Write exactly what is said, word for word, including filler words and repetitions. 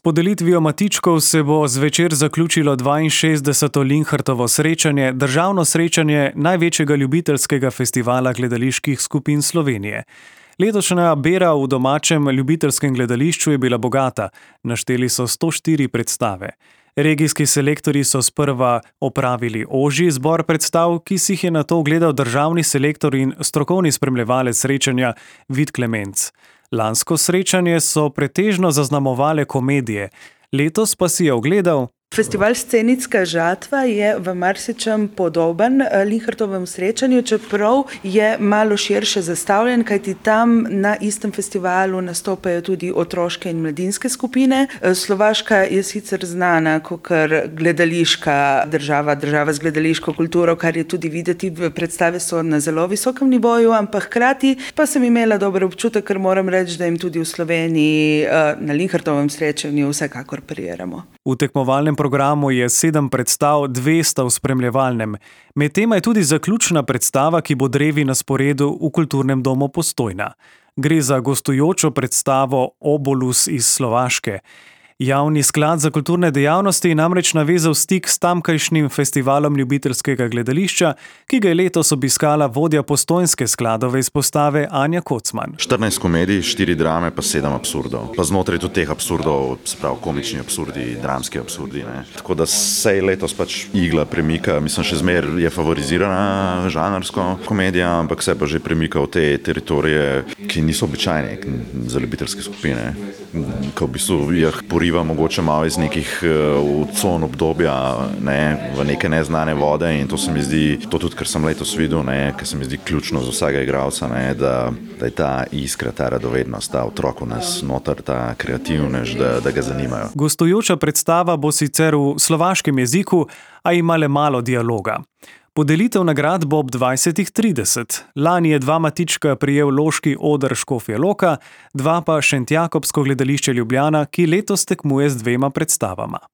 podelitvijo matičkov se bo zvečer zaključilo dvainšestdeseto Linhartovo srečanje, državno srečanje največjega ljubiteljskega festivala gledaliških skupin Slovenije. Letošnja bera v domačem ljubiteljskem gledališču je bila bogata, našteli so sto štiri predstave. Regijski selektorji so sprva opravili ožji izbor predstav, ki si jih je nato ogledal državni selektor in strokovni spremljevalec srečanja Vid Klemenc. Lansko srečanje so pretežno zaznamovale komedije, letos pa si je ogledal. Festival Scenitska žatva je v marsičem podoben Linhartovemu srečanju, čeprav je malo širše zastavljen, kajti tam na istem festivalu nastopajo tudi otroške in mladinske skupine. Slovaška je sicer znana kot gledališka država, država z gledališko kulturo, kar je tudi videti, predstave so na zelo visokem nivoju, ampak hkrati pa sem imela dober občutek, ker moram reči, da jim tudi v Sloveniji na Linhartovem srečanju vsekakor pariramo. V tekmovalnem programu je sedem predstav, dve sta v spremljevalnem. Med tema je tudi zaključna predstava, ki bo drevi na sporedu v Kulturnem domu Postojna. Gre za gostujočo predstavo Obolus iz Slovaške. Javni sklad za kulturne dejavnosti je namreč navezal stik s tamkajšnjim festivalom ljubiteljskega gledališča, ki ga je letos obiskala vodja postojnske skladove izpostave Anja Kocman. štirinajst komedij, štiri drame pa sedem absurdov. Pa znotraj tudi teh absurdov, se pravi komični absurdi, dramski absurdi. Ne. Tako da se letos pač igla premika, mislim, še zmer je favorizirana žanrsko komedija, ampak se pa že premika v te teritorije, ki niso običajne za ljubiteljske skupine. Ko v bistvu jih poriva mogoče malo iz nekih uh, con obdobja, ne, v neke neznane vode, in to se mi zdi, to tudi, kar sem letos videl, ne, kar se mi zdi ključno za vsega igralca, ne, da, da je ta iskra, ta radovednost, ta otrok v nas noter, ta kreativnež, da, da ga zanimajo. Gostujoča predstava bo sicer v slovaškem jeziku, a ima le malo dialoga. Podelitev nagrad bo ob dvajsetih trideset. Lani je dva matička prejel Loški oder Škofja Loka, dva pa Šentjakobsko gledališče Ljubljana, ki letos tekmuje z dvema predstavama.